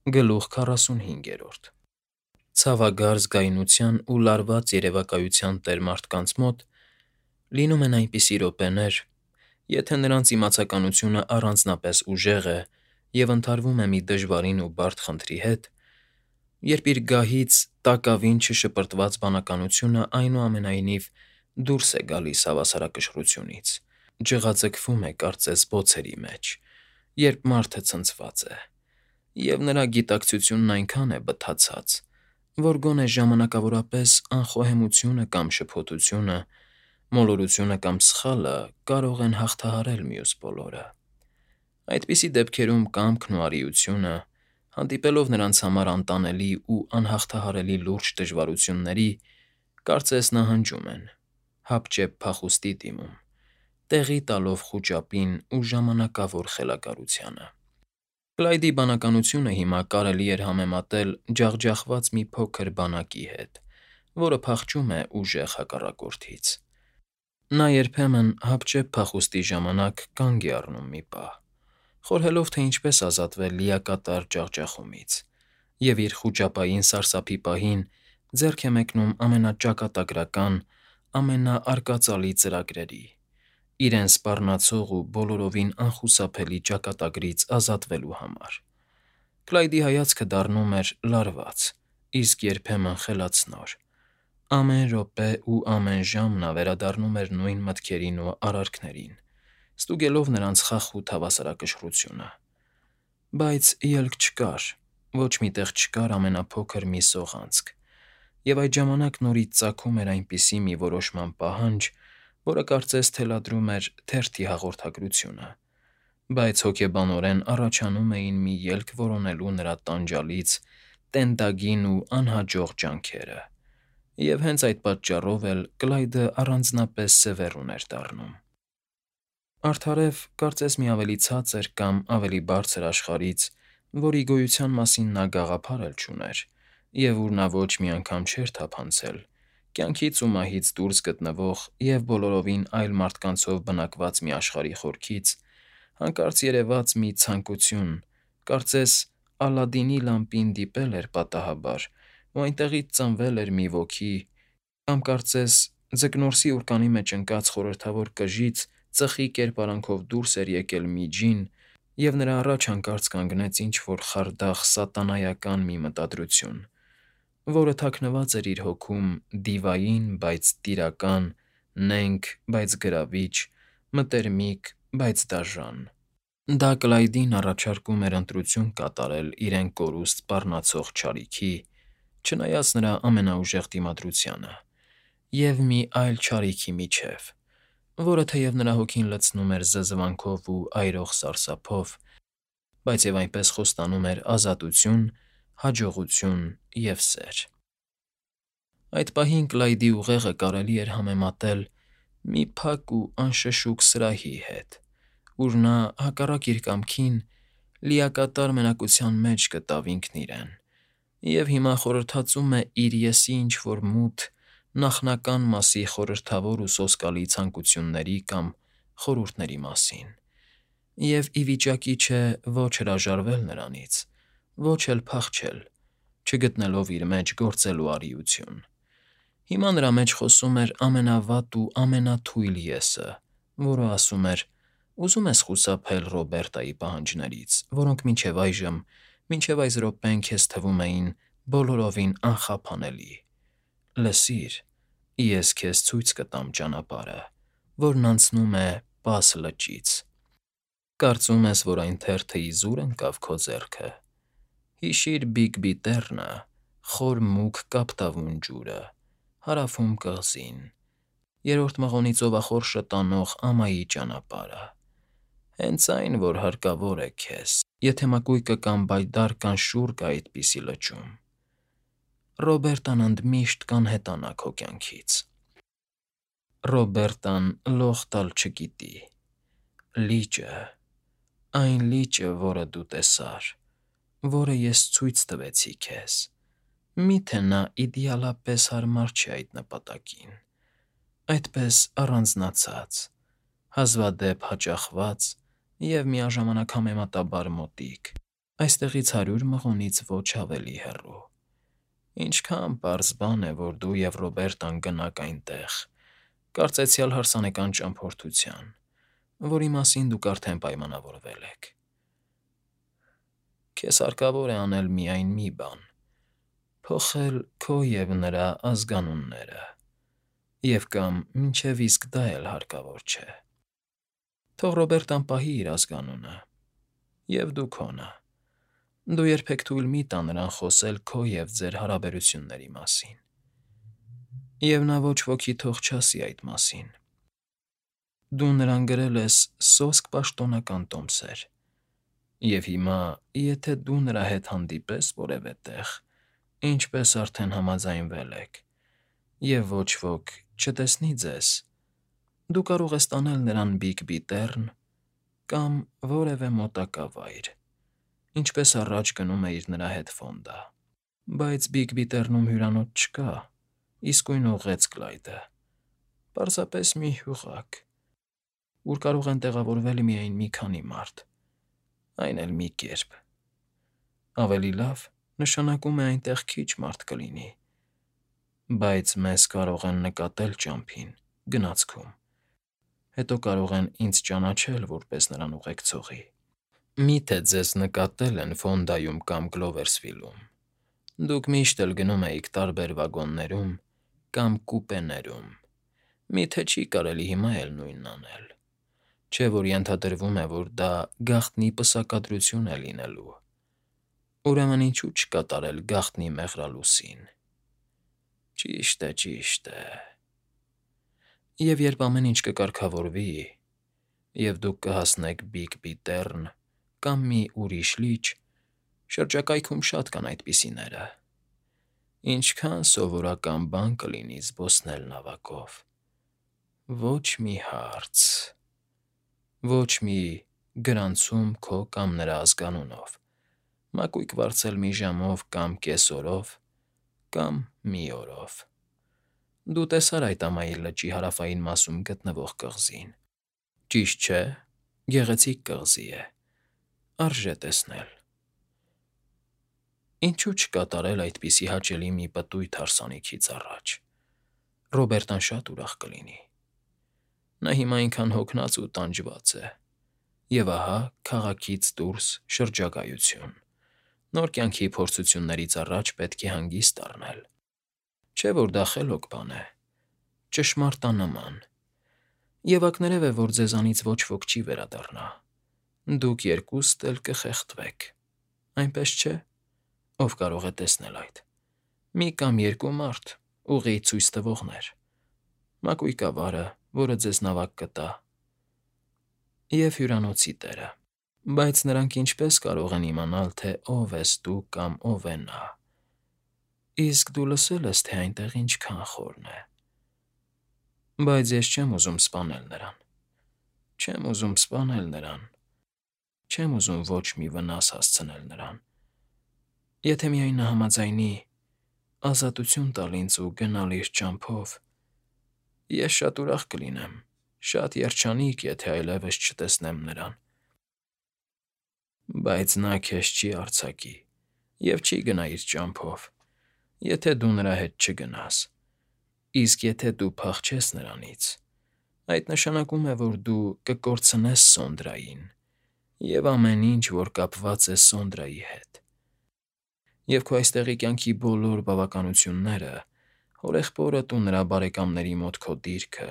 Գլուխ 45 Ցավագար զգայունության ու լարված երևակայության տեր մարդկանց մոտ լինում են այնպիսի րոպեներ, եթե նրանց իմացականությունը առանձնապես ուժեղ է և ընդհարվում է մի դժվարին ու բարդ խնդրի հետ, երբ իր գահից տակավին չշպրտված բանականությունը այնուամենայնիվ դուրս է գալիս հավասարակշռությունից, ջղաձգվում է կարծես բոցերի մեջ, երբ մարդը ցնցված է, և նրա գիտակցությունն այնքան է բթացած, որ գոնե ժամանակավորապես անխոհեմությունը կամ շփոթությունը, մոլորությունը կամ սխալը կարող են հաղթահարել մյուս բոլորը։ Այդպիսի դեպքերում կամքն ու արիությունը, հանդիպելով նրանց համար անտանելի ու անհաղթահարելի լուրջ դժվարությունների, կարծես նահանջում են, հապճեպ փախուստի դիմում, տեղի տալով խուճապին ու ժամանակավոր խելագարությանը։ Կլայդի բանականությունը հիմա կարելի էր համեմատել ջախջախված մի փոքր բանակի հետ, որը փախչում է ուժեղ հակառակորդից։ Նա երբեմն հապճեպ փախուստի ժամանակ կանգ է առնում մի պահ, խորհելով, թե ինչպես ազատվել լիակատար ջախջախումից, և իր խուճապային սարսափի պահին ձեռք է մեկնում ամենաճակատագրական, ամենաարկածալի ծրագրերի՝ իրեն սպառնացող ու բոլորովին անխուսափելի ճակատագրից ազատվելու համար։ Կլայդի հայացքը դառնում էր լարված, իսկ երբեմն խելացնոր։ Ամեն րոպե ու ամեն ժամ նա վերադառնում էր նույն մտքերին ու արարքներին, ստուգելով նրանց խախուտ հավասարակշռությունը։ Բայց ելք չկար, ոչ մի տեղ չկար ամենափոքր մի սողանցք, և այդ ժամանակ նորից ծագում էր այնպիսի մի որոշման պահանջ, որը կարծես թելադրում էր թերթի հաղորդագրությունը, բայց հոգեբանորեն առաջանում էին մի ելք որոնելու նրա տանջալից, տենդագին ու անհաջող ջանքերը, և հենց այդ պատճառով էլ Կլայդը առանձնապես սևեռուն էր դառնում։ Արդարև, կարծես մի ավելի ցածր կամ ավելի բարձր աշխարհից, որի գոյության մասին նա գաղափար էլ չուներ, և ուր նա ոչ մի անգամ չէր թափանցել, կյանքից ու մահից դուրս գտնվող և բոլորովին այլ մարդկանցով բնակված մի աշխարհի խորքից, հանկարծ երևաց մի ցանկություն, կարծես Ալադինի լամպին դիպել էր պատահաբար, ու այնտեղից ծնվել էր մի ոգի, կամ կարծես ձկնորսի ուռկանի մեջ ընկած խորհրդավոր կժից ծխի կերպարանքով դուրս էր եկել մի ջին, և նրա առաջ հանկարծ կանգնեց ինչ֊որ խարդախ սատանայական մի մտադրություն, որը թաքնված էր իր հոգում դիվային, բայց տիրական, նենգ, բայց գրավիչ, մտերմիկ, բայց դաժան։ Դա Կլայդին առաջարկում էր ընտրություն կատարել իրեն կորուստ սպառնացող չարիքի, չնայած նրա ամենաուժեղ դիմադրությանը, և մի այլ չարիքի միջև, որը թեև նրա հոգին լցնում էր զզվանքով ու այրող սարսափով, բայց և այնպես խոստանում էր ազատություն, հաջողություն և սեր։ Այդ պահին Կլայդի ուղեղը կարելի էր համեմատել մի փակ ու անշշուկ սրահի հետ, ուր նա, հակառակ իր կամքին, լիակատար մենակության մեջ գտավ ինքն իրեն, և հիմա խորհրդածում է իր ես֊ի ինչ֊որ մութ, նախնական մասի խորհրդավոր ու սոսկալի ցանկությունների կամ խորհուրդների մասին, և ի վիճակի չէ ոչ հրաժարվել նրանից, ոչ էլ փախչել, չգտնելով իր մեջ գործելու արիություն։ Հիմա նրա մեջ խոսում էր ամենավատ ու ամենաթույլ ես֊ը, որը ասում էր. «Ուզո՞ւմ ես խուսափել Ռոբերտայի պահանջներից, որոնք մինչև այժմ, մինչև այս րոպեն քեզ թվում էին բոլորովին անխափանելի։ Լսիր, ես քեզ ցույց կտամ ճանապարհը, որն անցնում է Պաս լճից։ Կարծում ես, որ այն թերթը իզուր ընկավ քո ձեռքը։ Հիշիր Բիգբի Տեռնը, խոր մուգ կապտավուն ջուրը, Հարավում կղզին, Երրորդ մղոնի ծովախորշը տանող ամայի ճանապարհը։ Հենց այն, որ հարկավոր է քեզ, եթե մակույկը կամ բայդար կամ շուռ կա այդպիսի լճում։ Ռոբերտան ընդմիշտ կանհետանա քո կյանքից։ Ռոբերտան լող տալ չգիտի։ Լիճը, այն լիճը, որը դու տեսար, որը ես ցույց տվեցի քեզ, միթե նա իդեալապես հարմար չէ այդ նպատակին, այդպես առանձնացած, հազվադեպ հաճախված և միաժամանակ համեմատաբար մոտիկ։ Այստեղից 100 մղոնից ոչ ավելի հեռու։ Ինչքան պարզ բան է, որ դու և Ռոբերտան գնաք այնտեղ, կարծեցյալ հարսանեկան ճամփորդության, որի մասին դուք արդեն պայմանավորվել եք։ Քեզ հարկավոր է անել միայն մի բան. փոխել քո և նրա ազգանունները, և կամ մինչև իսկ դա էլ հարկավոր չէ։ Թող Ռոբերտան պահի իր ազգանունը, և դու քոնը։ Դու երբեք թույլ մի տա նրան խոսել քո և ձեր հարաբերությունների մասին։ Եվ նա ոչ ոքի թող չասի այդ մասին։ Դու նրան գրել ես սոսկ պաշտոնական տոմսեր, և հիմա, եթե դու նրա հետ հանդիպես որևէ տեղ, ինչպես արդեն համաձայնվել եք, և ոչ ոք չտեսնի ձեզ, դու կարող ես տանել նրան Բիգբի Տեռն կամ որևէ մոտակա վայր, ինչպես առաջ գնում էիր նրա հետ Ֆոնդա։ Բայց Բիգբի Տեռնում հյուրանոց չկա, իսկույն ուղղեց Կլայդը, պարզապես մի հյուղակ, ուր կարող են տեղավորվել միայն մի քանի մարդ, այն էլ մի կերպ։ Ավելի լավ, նշանակում է այնտեղ քիչ մարդ կլինի, բայց մեզ կարող են նկատել ճամփին, գնացքում, հետո կարող են ինձ ճանաչել որպես նրան ուղեկցողի։ Մի՞թե ձեզ նկատել են Ֆոնդայում կամ Գլովերսվիլում։ Դուք միշտ էլ գնում էիք տարբեր վագոններում կամ կուպեներում։ Մի՞թե չի կարելի հիմա էլ նույնն անել։ Չէ՞ որ ենթադրվում է, որ դա գաղտնի պսակադրություն է լինելու։ Ուրեմն ինչու չկատարել գաղտնի մեղրալուսին։ Ճիշտ է, ճիշտ է։ Եվ երբ ամեն ինչ կկարգավորվի, և դուք կհասնեք Բիգբի Տեռն կամ մի ուրիշ լիճ, շրջակայքում շատ կան այդպիսիները, ինչքան սովորական բան կլինի զբոսնել նավակով։ Ոչ մի հարց, ոչ մի գրանցում քո կամ նրա ազգանունով, մակույկ վարձել մի ժամով կամ կեսօրով կամ մի օրով։ Դու տեսար այդ ամայի լճի հարավային մասում գտնվող կղզին, ճիշտ չէ՞։ Գեղեցիկ կղզի է, արժե տեսնել։ Ինչու չկատարել այդպիսի հաճելի մի պտույտ հարսանիքից առաջ։ Ռոբերտան շատ ուրախ կլինի։ Նա հիմա այնքան հոգնած ու տանջված է։ Եվ ահա քաղաքից դուրս շրջագայություն, նոր կյանքի փորձություններից առաջ պետք է հանգիստ առնել։ Չէ՞ որ դա խելոք բան է, ճշմարտանման։ Եվ ակներև է, որ ձեզանից ոչ ոք չի վերադառնա։ Դուք երկուստ էլ կխեղդվեք, այնպես չէ՞։ Ով կարող է տեսնել այդ։ Մի կամ երկու մարդ, ուղիղ ցույց տվողներ, մակույկավարը, որը ձեզ նավակ կտա, և հյուրանոցի տերը։ Բայց նրանք ինչպե՞ս կարող են իմանալ, թե ով ես դու կամ ով է նա։ Իսկ դու լսել ես, թե այնտեղ ինչքան խորն է։ Բայց ես չեմ ուզում սպանել նրան։ Չեմ ուզում սպանել նրան։ Չեմ ուզում ոչ մի վնաս հասցնել նրան։ Եթե միայն նա համաձայնի ազատություն տալ ինձ ու գնալ իր ճամփով, ես շատ ուրախ կլինեմ, շատ երջանիկ, եթե այլևս չտեսնեմ նրան։ Բայց նա քեզ չի արձակի և չի գնա իր ճամփով, եթե դու նրա հետ չգնաս։ Իսկ եթե դու փախչես նրանից, այդ նշանակում է, որ դու կկորցնես Սոնդրային և ամեն ինչ, որ կապված է Սոնդրայի հետ։ Եվ քո այստեղի կյանքի բոլոր բավականությունները, հորեղբորդ ու նրա բարեկամների մոտ քո դիրքը,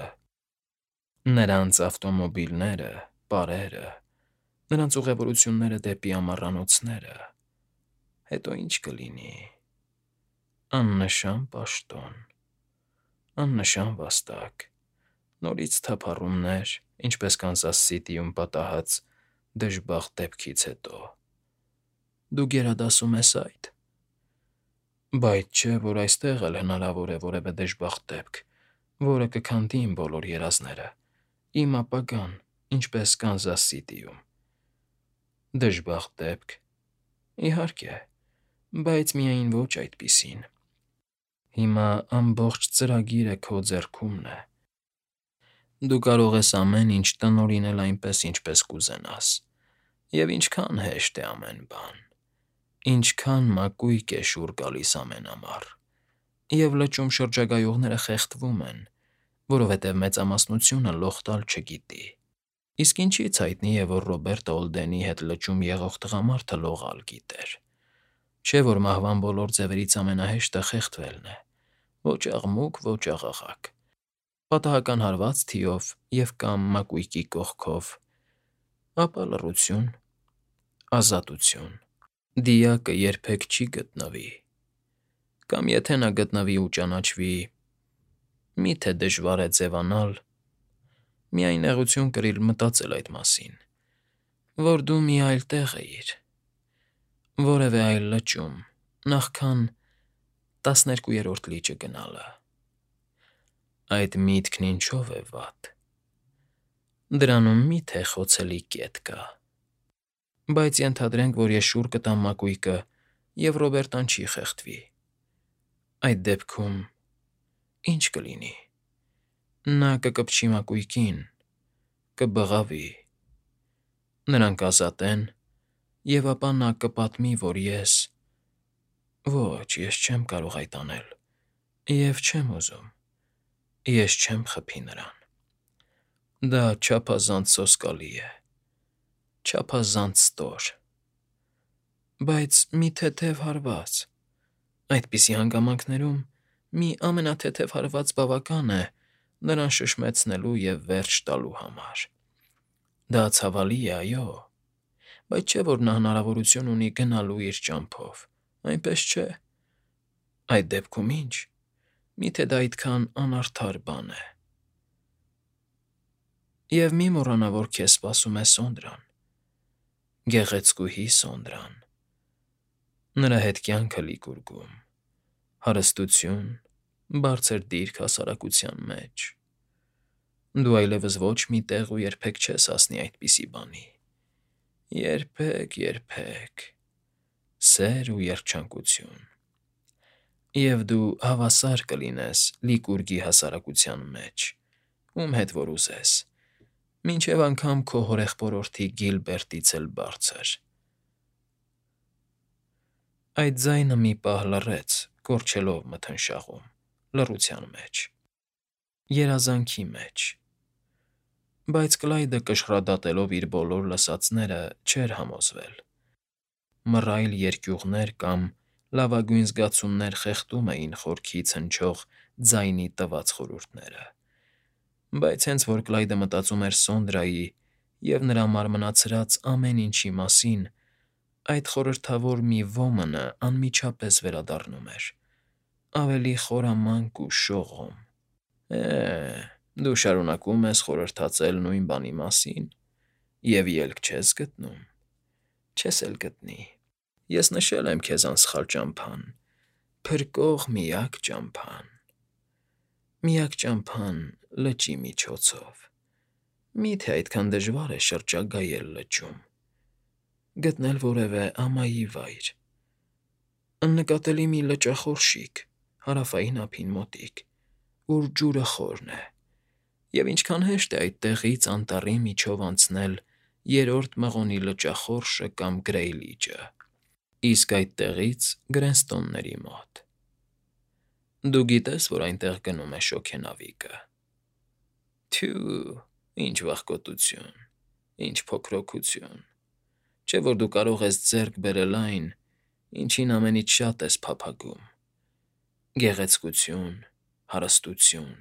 նրանց ավտոմոբիլները, պարերը, նրանց ուղևորությունները դեպի ամառանոցները, հետո ինչ կլինի։ Աննշան պաշտոն, աննշան վաստակ, նորից թափառումներ, ինչպես Կանսաս Սիթիում պատահած դժբախտ դեպքից հետո։ Դու գերադասում ես այդ։ Բայց չէ, որ այստեղ էլ հնարավոր է որևէ դժբախտ դեպք, որը կքանդի իմ բոլոր երազները, իմ ապագան, ինչպես Կանզաս Սիթիում։ Դժբախտ դեպք։ Իհարկե, բայց միայն ոչ այդպիսին։ Հիմա ամբողջ ծրագիրը քո ձեռքումն է։ Դու կարող ես ամեն ինչ տնօրինել այնպես, ինչպես կուզենաս, և ինչքան հեշտ է ամեն բան։ Ինչքան մակույկ է շուռ գալիս ամենամառ, և լճում շրջագայողները խեղդվում են, որովհետև մեծամասնությունը լող տալ չգիտի։ Իսկ ինչի՞ց հայտնի է, որ Ռոբերտ Օլդենի հետ լճում եղող տղամարդը լողալ գիտեր։ Չէ՞ որ մահվան բոլոր ձևերից ամենահեշտը խեղդվելն է, ոչ աղմուկ, ոչ աղաղակ, պատահական հարված թիով և կամ մակույկի կողքով, ապա լռություն, ազատություն։ Դիակը երբեք չի գտնվի, կամ եթե նա գտնվի ու ճանաչվի, մի՞թե դժվար է ձևանալ, միայն նեղություն կրիլ մտածել այդ մասին, որ դու մի այլ տեղ էիր, որևէ այլ լճում, նախքան 12-րդ լիճը գնալը։ Այդ միտքն ինչո՞վ է վատ։ Դրանում մի՞թե խոցելի կետ կա։ Բայց ենթադրենք, որ ես շուռ կտամ մակույկը, և Ռոբերտան չի խեղդվի։ Այդ դեպքում ի՞նչ կլինի։ Նա կկպչի մակույկին, կբղավի, նրան կազատեն, և ապա նա կպատմի, որ ես… Ոչ, ես չեմ կարող այդ անել, և չեմ ուզում, ես չեմ խփի նրան։ Դա չափազանց սոսկալի է, չափազանց ստոր։ Բայց մի թեթև հարված… Այդպիսի հանգամանքներում մի ամենաթեթև հարված բավական է նրան շշմեցնելու և վերջ տալու համար։ Դա ցավալի է, այո, բայց չէ՞ որ նա հնարավորություն ունի գնալու իր ճամփով, այնպես չէ։ Այդ դեպքում ի՞նչ, միթե դա այդքան անարդար բան է։ Եվ մի մոռանա, որ քեզ սպասում է Սոնդրան, գեղեցկուհի Սոնդրան, նրա հետ կյանքը լիքուրգում, հարստություն, բարձր դիրք հասարակության մեջ։ Դու այլևս ոչ մի տեղ ու երբեք չես հասնի այդպիսի բանի։ Երբեք, սեր ու երջանկություն։ Եվ դու հավասար կլինես լիքուրգի հասարակության մեջ, ում հետ որ ուզես, մինչև անգամ քո հորեղբորորդի Գիլբերտից էլ բարձր։ Այդ ձայնը մի պահ լռեց, կորչելով մթնշաղում, լռության մեջ, երազանքի մեջ։ Բայց Կլայդը, կշռադատելով իր բոլոր լսածները, չէր համոզվել։ Մռայլ երկյուղներ կամ լավագույն զգացումներ խեղդում էին խորքից հնչող ձայնի տված խորհուրդները։ Բայց հենց որ Կլայդը մտածում էր Սոնդրայի և նրա մարմնացրած ամեն ինչի մասին, այդ խորհրդավոր մի ոմնը անմիջապես վերադառնում էր, ավելի խորամանկ ու շողոմ։ Դու շարունակում ես խորհրդածել նույն բանի մասին և ելք չես գտնում, չես էլ գտնի։ Ես նշել եմ քեզ անսխալ ճամփան, փրկող միակ ճամփան լճի միջոցով։ Մի՞թե այդքան դժվար է շրջագայել լճում, գտնել որևէ ամայի վայր, աննկատելի մի լճախորշիկ հարավային ափին մոտիկ, ուր ջուրը խորն է, և ինչքան հեշտ է այդտեղից անտառի միջով անցնել Երրորդ մղոնի լճախորշը կամ Գրեյ լիճը, իսկ այդտեղից Գրենստոնների մոտ։ Դու գիտես, որ այնտեղ գնում է շոգենավիկը։ Թյու, ինչ վախկոտություն, ինչ փոքրօքություն, չէ՞ որ դու կարող ես ձեռք բերել այն, ինչին ամենից շատ ես փափագում՝ գեղեցկություն, հարստություն,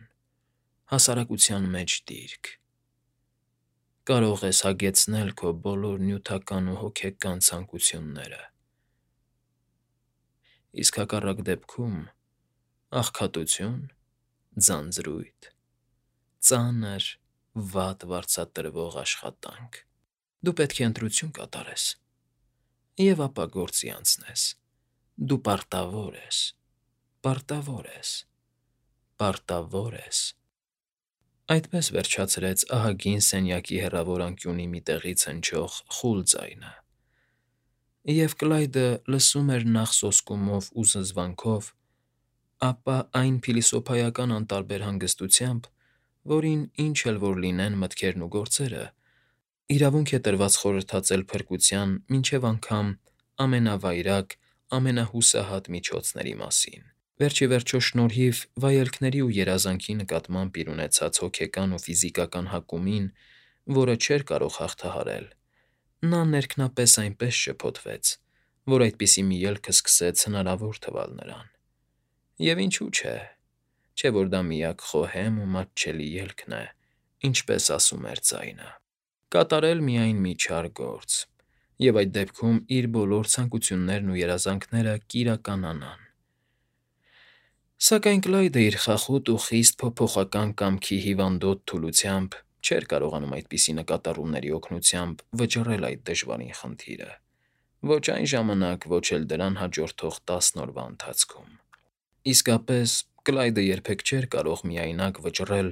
հասարակության մեջ դիրք։ Կարող ես հագեցնել քո բոլոր նյութական ու հոգեկան ցանկությունները։ Իսկ հակառակ դեպքում աղքատություն, ձանձրույթ, ծանր, վատ վարձատրվող աշխատանք։ Դու պետք է ընտրություն կատարես և ապա գործի անցնես։ Դու պարտավոր ես, պարտավոր ես։ Այդպես վերջացրեց ահագին սենյակի հեռավոր անկյունի մի տեղից հնչող խուլ ձայնը։ Եվ Կլայդը լսում էր նախ սոսկումով ու զզվանքով, ապա այն փիլիսոփայական անտարբեր հանգստությամբ, որին ինչ էլ որ լինեն մտքերն ու գործերը, իրավունք է տրված խորհրդածել փրկության մինչև անգամ ամենավայրագ, ամենահուսահատ միջոցների մասին։ Վերջիվերջո շնորհիվ վայելքների ու երազանքի նկատմամբ իր ունեցած հոգեկան ու ֆիզիկական հակումին, որը չէր կարող հաղթահարել, նա ներքնապես այնպես շփոթվեց, որ այդպիսի մի ելքը սկսեց հնարավոր թվալ նրան։ Եվ ինչու՞ չէ, որ դա միակ խոհեմ ու մատչելի ելքն է, ինչպես ասում էր ձայնը։ Կատարել միայն մի չար գործ, և այդ դեպքում իր բոլոր ցանկություններն ու երազանքները կիրականանան։ Սակայն Կլայդը իր խախուտ ու խիստ փոփոխական կամքի հիվանդոտ թուլությամբ չէր կարողանում այդպիսի նկատառումների օգնությամբ վճռել այդ դժվարին խնդիրը, ոչ այն ժամանակ, ոչ էլ դրան հաջորդող 10 օրվա ընթացքում։ Իսկապես, Կլայդը երբեք չէր կարող միայնակ վճռել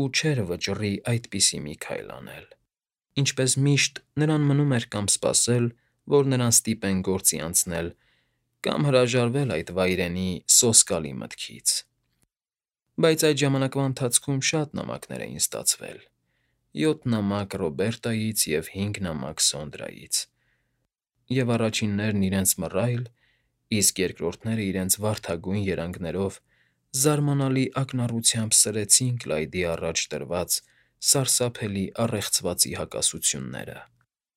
ու չէր վճռի այդպիսի մի քայլ անել։ Ինչպես միշտ, նրան մնում էր կամ սպասել, որ նրան ստիպեն գործի անցնել, կամ հրաժարվել այդ վայրենի, սոսկալի մտքից։ Բայց այդ ժամանակվա ընթացքում շատ նամակներ էին ստացվել. 7 նամակ Ռոբերտայից և 5 նամակ Սոնդրայից, և առաջիններն իրենց մռայլ, իսկ երկրորդները իրենց վարդագույն երանգներով զարմանալի ակնառությամբ սրեցին Կլայդի առաջ դրված սարսափելի առեղծվածի հակասությունները։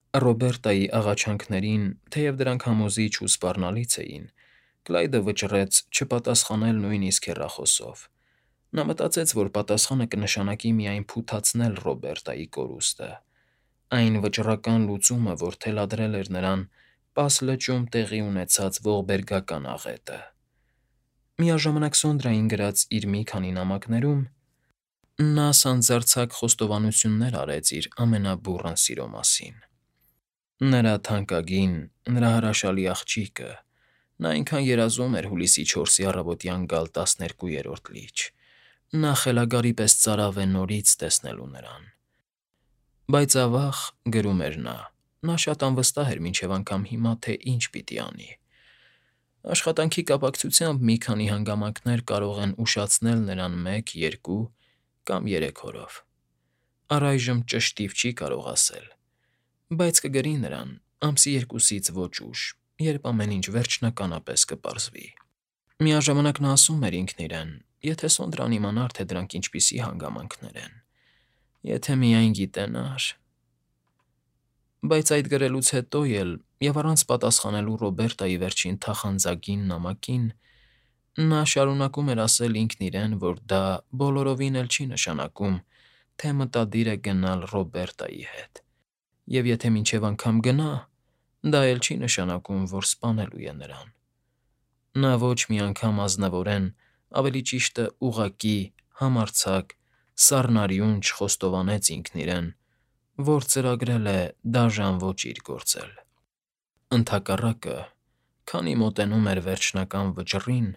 Ռոբերտայի աղաչանքներին, թեև դրանք համոզիչ ու սպառնալից էին, Կլայդը վճռեց չպատասխանել նույնիսկ հեռախոսով։ Նա մտածեց, որ պատասխանը կնշանակի միայն փութացնել Ռոբերտայի կորուստը, այն վճռական լուծումը, որ թելադրել էր նրան Պաս լճում տեղի ունեցած ողբերգական աղետը։ Միաժամանակ Սոնդրային գրած իր մի քանի նամակներում նա սանձարձակ խոստովանություններ արեց իր ամենաբուռն սիրո մասին։ Նրա թանկագին, նրա հրաշալի աղջիկը, նա այնքան երազում էր հուլիսի 4-ի առավոտյան գալ 12-րդ լիճ, նա խելագարի պես ծարավ է նորից տեսնելու նրան։ Բայց ավաղ, գրում էր նա շատ անվստահ էր մինչև անգամ հիմա, թե ինչ պիտի անի։ Աշխատանքի կապակցությամբ մի քանի հանգամանքներ կարող են ուշացնել նրան 1, 2 կամ 3 օրով։ Առայժմ ճշտիվ չի կարող ասել, բայց կգրի նրան ամսի 2-ից ոչ ուշ, երբ ամեն ինչ վերջնականապես կպարզվի։ Միաժամանակ նա ասում էր ինքն իրեն. եթե Սոնդրան իմանար, թե դրանք ինչպիսի հանգամանքներ են, եթե միայն գիտենար… Բայց այդ գրելուց հետո էլ, և առանց պատասխանելու Ռոբերտայի վերջին թախանձագին նամակին, նա շարունակում էր ասել ինքն իրեն, որ դա բոլորովին էլ չի նշանակում, թե մտադիր է գնալ Ռոբերտայի հետ, և եթե մինչև անգամ գնա, դա էլ չի նշանակում, որ սպանելու է նրան։ Նա ոչ մի անգամ ազնվորեն, ավելի ճիշտը ուղղակի, համարձակ, սառնարյուն չխոստովանեց ինքն իրեն, որ ծրագրել է դաժան ոճիր գործել։ Ընդհակառակը, քանի մոտենում էր վերջնական վճռին,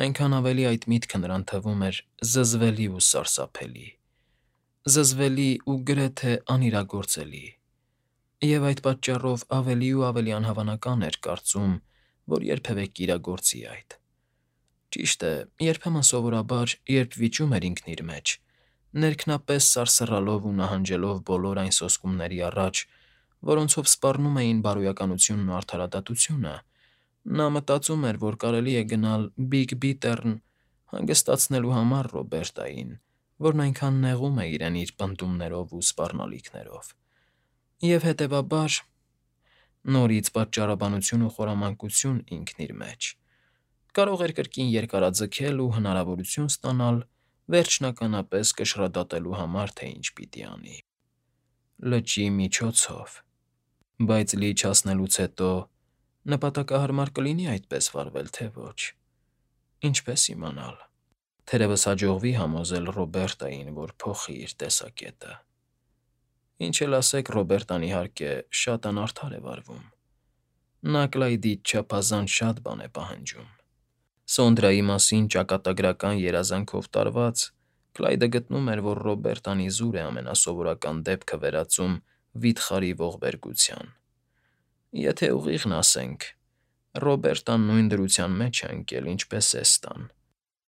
այնքան ավելի այդ միտքը նրան թվում էր զզվելի ու սարսափելի, զզվելի ու գրեթե անիրագործելի, և այդ պատճառով ավելի ու ավելի անհավանական էր կարծում, որ երբևէ կիրագործի այդ։ Ճիշտ է, երբեմն սովորաբար, երբ վիճում էր ինքն իր մեջ, ներքնապես սարսռալով ու նահանջելով բոլոր այն սոսկումների առաջ, որոնցով սպառնում էին բարոյականությունն ու արդարադատությունը, նա մտածում էր, որ կարելի է գնալ Բիգ Բիթեռն հանգստացնելու համար Ռոբերտային, որն այնքան նեղում է իրեն իր պնդումներով ու սպառնալիքներով, և հետևաբար… նորից պատճառաբանություն ու խորամանկություն ինքն իր մեջ… կարող էր կրկին երկարաձգել ու հնարավորություն ստանալ վերջնականապես կշռադատելու համար, թե ինչ պիտի անի… Լճի միջոցով… Բայց լիճ հասնելուց հետո նպատակահարմար կլինի այդպես վարվել, թե ոչ… Ինչպե՞ս իմանալ… Թերևս հաջողվի համոզել Ռոբերտային, որ փոխի իր տեսակետը։ Ինչ էլ ասեք, Ռոբերտան, իհարկե, շատ անարդար է վարվում։ Նա Կլայդից չափազանց շատ բան է պահանջում։ Սոնդրայի մասին ճակատագրական երազանքով տարված՝ Կլայդը գտնում էր, որ Ռոբերտան իզուր է ամենասովորական դեպքը վերածում վիթխարի ողբերգության։ Եթե ուղիղն ասենք, Ռոբերտան նույն դրության մեջ է ընկել, ինչպես Էստան։